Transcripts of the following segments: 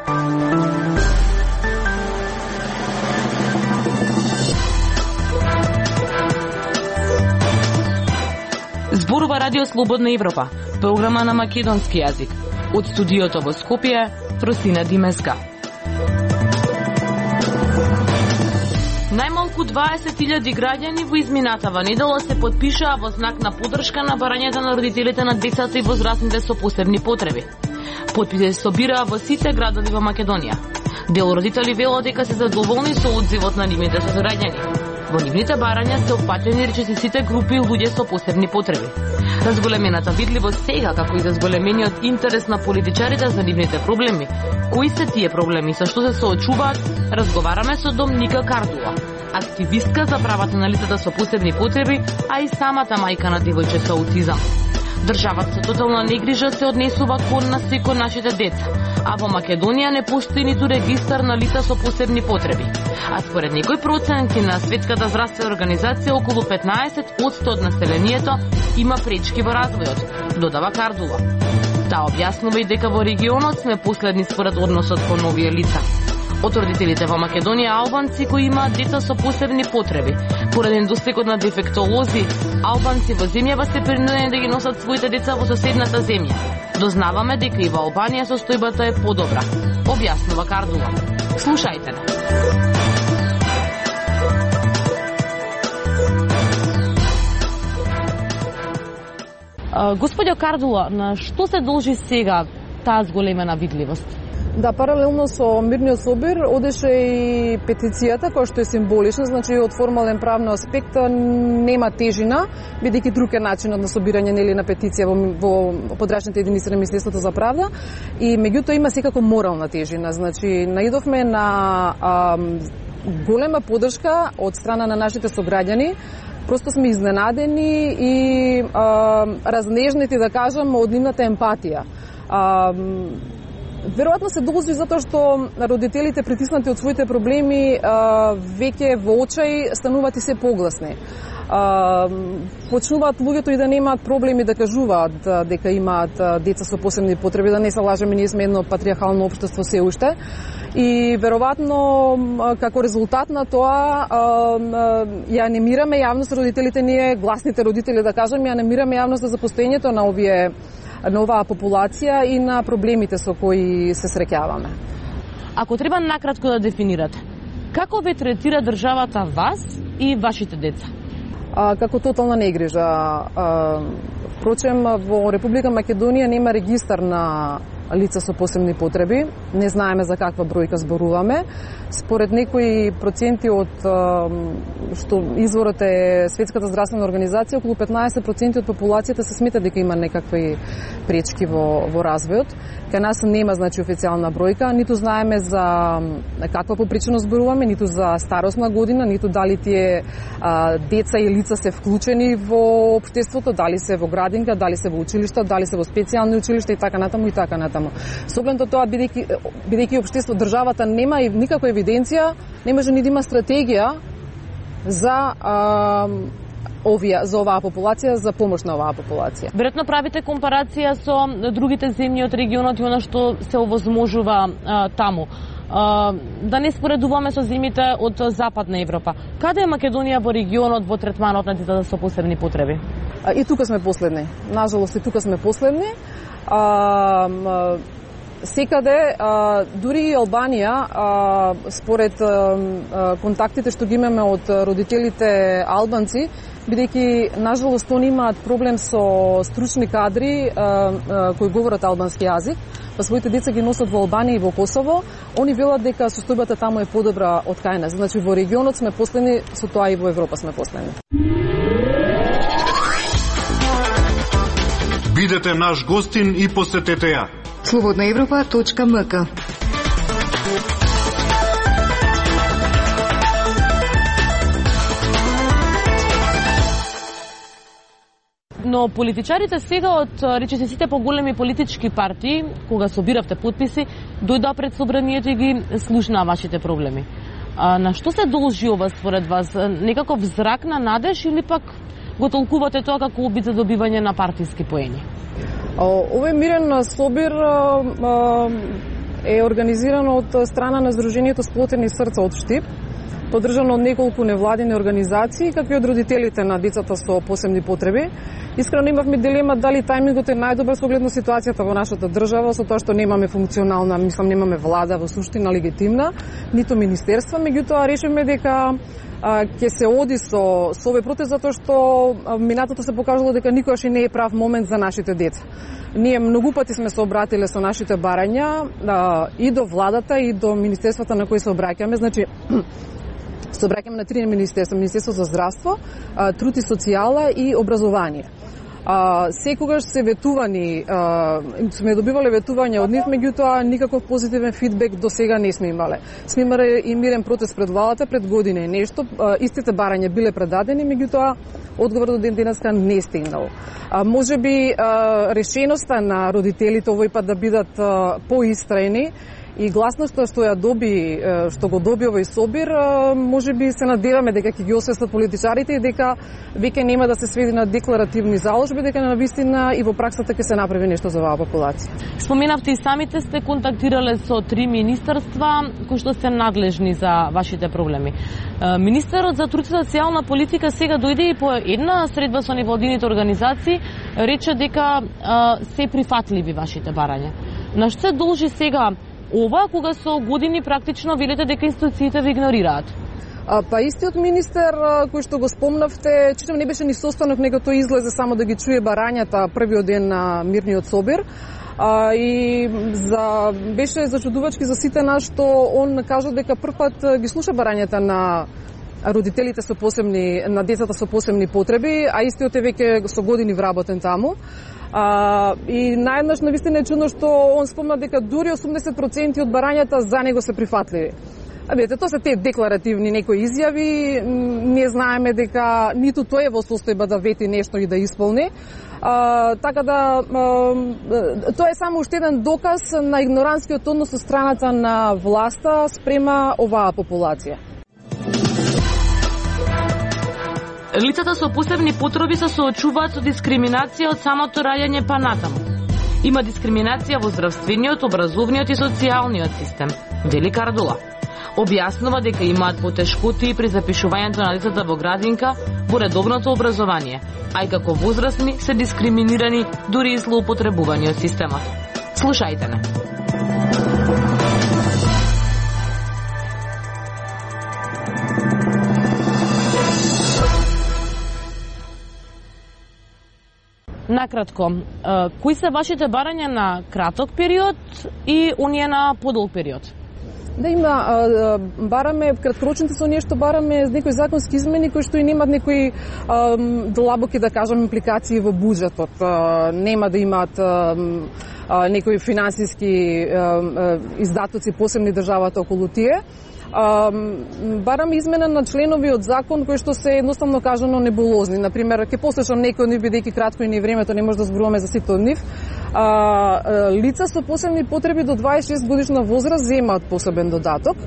Зборува Радио Слободна Европа, програма на македонски јазик. Од студиото во Скопје, Фросина Димеска. Најмалку 20.000 граѓани во изминатава недела се потпишаа во знак на поддршка на барањата на родителите на децата и возрастните со посебни потреби. Потписи се собираа во сите градови во Македонија. Дел родители велат дека се задоволни со одзивот на нивните сограѓани. Во нивните барања се опфатени речиси сите групи луѓе со посебни потреби. Разголемената видливост сега, како и за зголемениот интерес на политичарите за нивните проблеми. Кои се тие проблеми, со што се соочуваат, разговараме со Домника Кардула, активистка за правата на лицата со посебни потреби, а и самата мајка на девојче со аутизам. Државата со тотална негрижа се однесува кон нас и кон нашите деца, а во Македонија не постои ниту регистар на лица со посебни потреби. А според некои проценти на Светската здравствена организација, околу 15% од населението има пречки во развојот, додава Кардула. Таа објаснува и дека во регионот сме последни според односот кон овие лица. Од родителите во Македонија албанци кои имаат деца со посебни потреби. Поради недостигот на дефектолози, албанци во земјава се принудени да ги носат своите деца во соседната земја. Дознаваме дека и во Албанија состојбата е подобра, објаснува Кардула. Слушајте не. Господјо Кардула, на што се должи сега таа зголемена видливост? Да, паралелно со мирниот собир одеше и петицијата, која што е символична, значи од формален правен аспект нема тежина, бидејќи друг е начинот на собирање нели на петиција во подрачните единици на Министерството за правда, и меѓутоа има секако морална тежина. Значи наидовме на голема поддршка од страна на нашите сограѓани. Просто сме изненадени и разнежнети, да кажам, од нивната емпатија. Веројатно се должи затоа што родителите, притиснати од своите проблеми, веќе во очај стануваат и се погласни. Почнуваат луѓето и да немаат проблеми да кажуваат дека имаат деца со посебни потреби, да не се лажеме, ние сме едно патриархално општество се уште. И веројатно како резултат на тоа ја анимираме јавност, родителите, ние гласните родители, да кажам, ја анимираме јавност за постоењето на оваа популација и на проблемите со кои се среќаваме. Ако треба накратко да дефинирате, како ве третира државата вас и вашите деца? Како тотална негрижа. Впрочем, во Република Македонија нема регистар на лица со посебни потреби. Не знаеме за каква бројка зборуваме. Според некои проценти од што изворот е Светската здравствена организација, околу 15% од популацијата се смета дека има некакви пречки во развојот. Кај нас нема, значи, официјална бројка, ниту знаеме за каква попричина зборуваме, ниту за старосна година, ниту дали тие деца и лица се вклучени во општеството, дали се во градинка, дали се во училишта, дали се во специјални училишта и така натаму и така натаму. Со оглед на тоа, бидејќи општество, државата нема и никаква евиденција, не може ни да има стратегија за оваа популација, за помош на оваа популација. Веројатно правите компарација со другите земји од регионот и она што се овозможува таму. Да не споредуваме со земјите од Западна Европа. Каде е Македонија во регионот во третманот на децата со посебни потреби? И тука сме последни. Нажалост, и тука сме последни. Секаде, дури и Албанија, според контактите што ги имаме од родителите албанци, бидејќи нажалост они имаат проблем со стручни кадри кои говорат албански јазик, па своите деца ги носат во Албанија и во Косово, они велат дека состојбата таму е подобра од кај нас. Значи во регионот сме последни, со тоа и во Европа сме последни. Бидете наш гостин и посетете ја. slobodnaevropa.mk. Но политичарите сега од речиси сите поголеми политички партии, кога собиравте потписи, дојдоа пред собранието и ги слушнаа вашите проблеми. На што се должи ова според вас? Некаков зрак на надеж или пак го толкувате тоа како обид за добивање на партиски поени? Овој мирен собир е организирано од страна на Сдруженијето Сплотени срца од Штип, поддржано од неколку невладини организации, како и од родителите на децата со посебни потреби. Искрено имавме дилема дали тајмингот е најдобар со оглед на ситуацијата во нашата држава, со тоа што немаме функционална, немаме влада во суштина легитимна, ниту министерства, меѓутоа решивме дека ќе се оди со овој протест затоа што минатото се покажало дека никогаш и не е прав момент за нашите деца. Ние многу пати сме се обратиле со нашите барања и до владата и до министерствата на кои се обраќаме, значи се обраќаме на 3 министерства: Министерство за здравство, труд и социјала и образование. Секогаш се ветувани, сме добивале ветувања од нив, меѓутоа никаков позитивен фидбек до сега не сме имале. Сме имале и мирен протест пред владата пред година и нешто, истите барања биле предадени, меѓутоа одговор до ден денеска не стигнал. Можеби решеноста на родителите овој пат да бидат поистраени и гласноста што го доби овој собир, можеби се надеваме дека ќе ги освестат политичарите и дека веќе нема да се сведи на декларативни заложби, дека навистина и во праксата ќе се направи нешто за оваа популација. Споменавте и самите сте контактирале со 3 министерства кои што се надлежни за вашите проблеми. Министерот за труд и социјална политика сега дојде и по една средба со невладините организации, рече дека се прифатливи вашите барања. На што се должи сега ова, кога со години практично велите дека институциите ви игнорираат? Па истиот министер кој што го спомнавте, читам не беше ни состанок, него тој излезе само да ги чуе барањата првиот ден на мирниот собир. И беше зачудувачки за сите нас што он кажа дека првпат ги слуша барањата на родителите со посебни, на децата со посебни потреби, а истиот е веќе со години вработен таму. И наеднаш навистина е чудно што он спомна дека дури 80% од барањата за него се прифатливи. Видите, тоа се те декларативни некои изјави, не знаеме дека ниту тој е во состојба да вети нешто и да исполни. Така да, тоа е само уште еден доказ на игноранскиот однос од страната на власта спрема оваа популација. Лицата со посебни потреби се соочуваат со дискриминација од самото раѓање па натаму. Има дискриминација во здравствениот, образовниот и социјалниот систем, вели Кардула. Објаснува дека имаат потешкоти при запишувањето на децата во градинка во редовното образование, а и како возрастни се дискриминирани, дури и злоупотребувани од системот. Слушајте не. Накратко, кои се вашите барања на краток период и оние на подолг период? Да, има, бараме, краткорочните со ние што бараме некои законски измени кои што и немат некои длабоки, да кажам, импликации во буџетот. Нема да имаат некои финансиски издатоци посебни државата околу тие. Бараме измена на членови од закон кои што се едноставно кажано небулозни. Например, ќе послушам некој од нив, бидејќи кратко и не времето не може да зборуваме за сите од нив. Лица со посебни потреби до 26 годишна возраст земаат посебен додаток.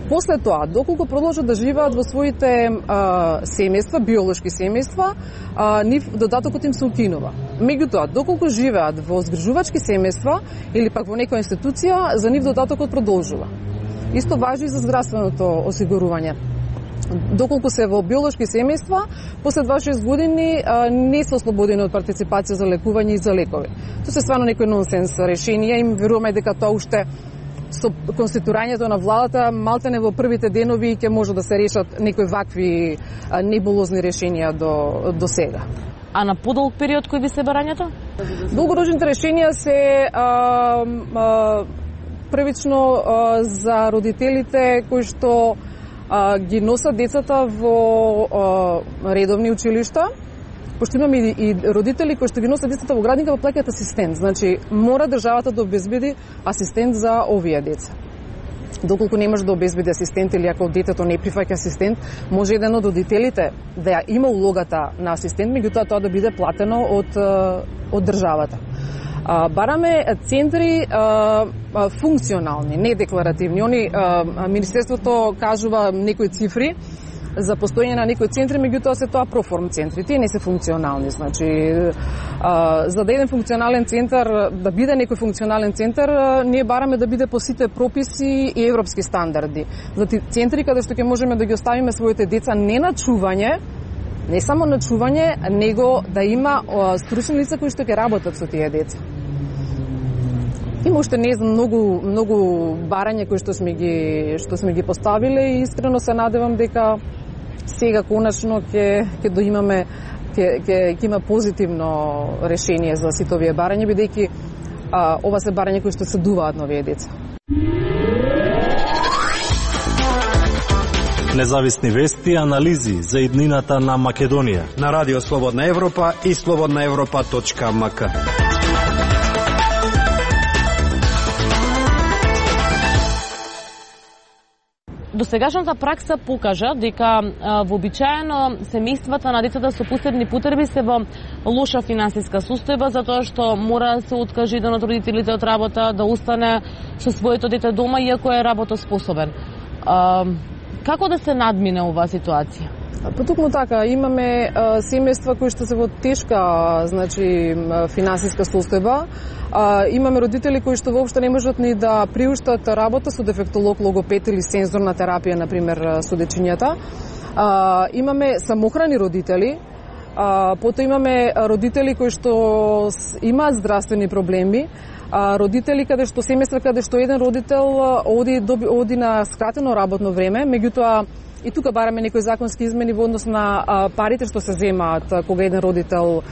После тоа, доколку продолжат да живеат во своите семејства, биолошки семејства, нив додатокот им се укинува. Меѓутоа, доколку живеат во згрижувачки семејства или пак во некоја институција, за нив додатокот продолжува. Исто важи и за здравственото осигурување. Доколку се во биолошки семејства, после 26 години не се ослободени од партиципација за лекување и за лекови. Тоа се стварно некој нонсенс решенија и веруваме дека тоа уште со конституирањето на владата малтене во првите денови ќе може да се решат некои вакви небулозни решенија до сега. А на подолг период кои би се барањата? Долгорочните решенија се првично за родителите кои што ги носат децата во редовни училишта, пошто имаме и родители кои што ги носат децата во градинка, во плаќаат асистент. Значи, мора државата да обезбеди асистент за овие деца. Доколку не може да обезбеди асистент или ако детето не прифаќа асистент, може еден од родителите да има улогата на асистент, меѓутоа тоа да биде платено од државата. Бараме центри функционални, не декларативни. Министерството кажува некои цифри, за постоење на некои центри, меѓутоа се тоа проформ центри, тие не се функционални, значи за да еден функционален центар, да биде некој функционален центар, ние бараме да биде по сите прописи и европски стандарди. За центри каде што ќе можеме да ги оставиме своите деца не на чување, не само на чување, него да има стручни лица кои што ќе работат со тие деца. Има уште не знам многу барања кои што сме ги поставиле и искрено се надевам дека сега конечно ќе доимаме ќе има позитивно решение за сите овие барања, бидејќи ова се барања кои што се дуваат на овие деца. Независни вести и анализи за иднината на Македонија на Радио Слободна Европа и slobodnaevropa.mk. Досегашната пракса покажа дека вообичаено семејствата на децата со посебни потреби се во лоша финансиска состојба затоа што мора да се откаже еден од родителите од работа, да остане со своето дете дома иако е работоспособен. Како да се надмине оваа ситуација? Потокму така, имаме семејства кои што се во тешка, значи финансиска состојба. Имаме родители кои што воопшто не можат ни да приуштат работа со дефектолог, логопед или сензорна терапија, например, со дечињата. Имаме самохрани родители, потоа имаме родители кои што имаат здравствени проблеми, родители каде што семејства каде што еден родител оди на скратено работно време, меѓутоа и тука бараме некои законски измени во однос на парите што се земаат кога еден родител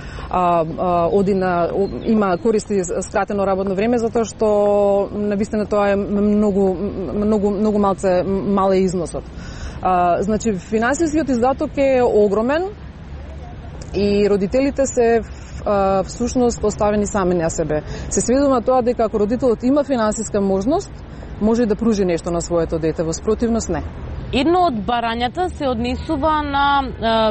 има користи скратено работно време, затоа што навистина тоа е многу мал е износот. Значи финансискиот издаток е огромен и родителите се всушност оставени сами на себе. Се сведува на тоа дека ако родителот има финансиска можност, може да пружи нешто на своето дете, во спротивност не. Едно од барањата се однесува на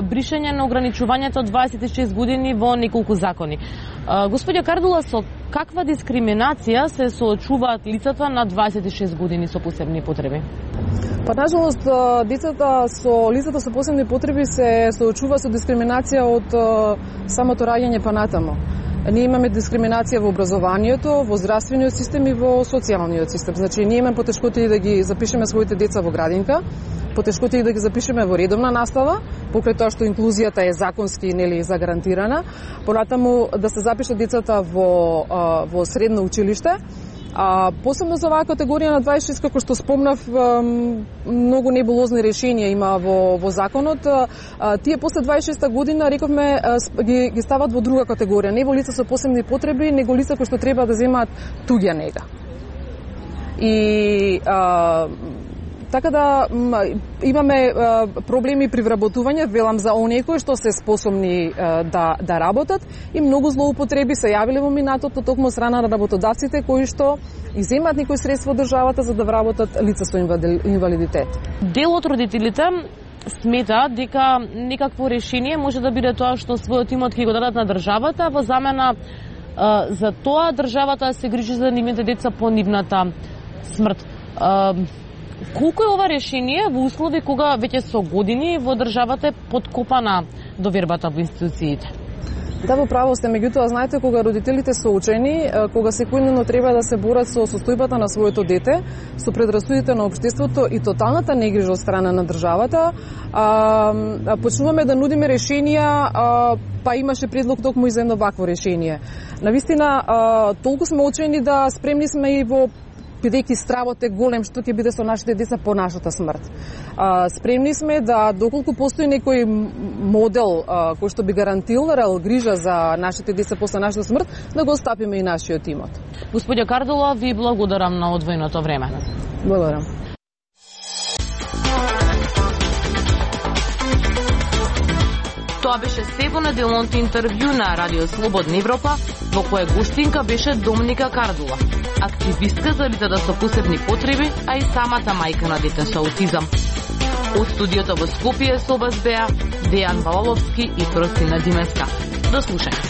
бришење на ограничувањето од 26 години во неколку закони. Господја Кардула, со каква дискриминација се соочуваат лицата на 26 години со посебни потреби? Па, нажалост, лицата со посебни потреби се соочува со дискриминација од самото раѓање па натамо. Ние имаме дискриминација во образованието, во здравствениот систем и во социјалниот систем. Значи, ние имаме потешкоти да ги запишеме своите деца во градинка, потешкоти да ги запишеме во редовна настава, покрај тоа што инклузијата е законски загарантирана, понатаму да се запишат децата во средно училиште. Посебно за оваа категорија на 26, како што спомнав, многу небулозни решенија има во законот. Тие после 26-та година, рековме, ги стават во друга категорија, не во лица со посебни потреби, него лица кои што треба да земаат туѓа нега. И така да имаме проблеми при вработување, велам за оние кои што се способни да работат, и многу злоупотреби се јавиле во минатото токму од страна на работодавците кои што иземаат некои средства од државата за да вработат лица со инвалидитет. Дел од родителите смета дека некакво решение може да биде тоа што својот имот ќе го дадат на државата во замена за тоа државата се грижи за нивните деца по нивната смрт. Колку е ова решение во услови кога веќе со години во државата е подкопана довербата во институциите? Да, во право сте, меѓутоа знаете кога родителите се учени, кога секојдневно треба да се борат со состојбата на своето дете, со предрасудите на општеството и тоталната негрижа од страна на државата, почнуваме да нудиме решенија, па имаше предлог токму и за едно вакво решение. Навистина, толку сме учени да спремни сме и во бидејќи стравот е голем што ќе биде со нашите деца по нашата смрт. Спремни сме да, доколку постои некој модел кој што би гарантирал грижа за нашите деца после нашата смрт, да го остапиме и нашиот имот. Господја Кардула, ви благодарам на одвоеното време. Благодарам. Тоа беше се во неделното интервју на Радио Слободна Европа, во кое гостинка беше Домника Кардула, активистка за лицата со посебни потреби, а и самата мајка на дете со аутизам. Од студиото во Скопје со вас беа Дејан Балаловски и Простина Димеска. До слушање.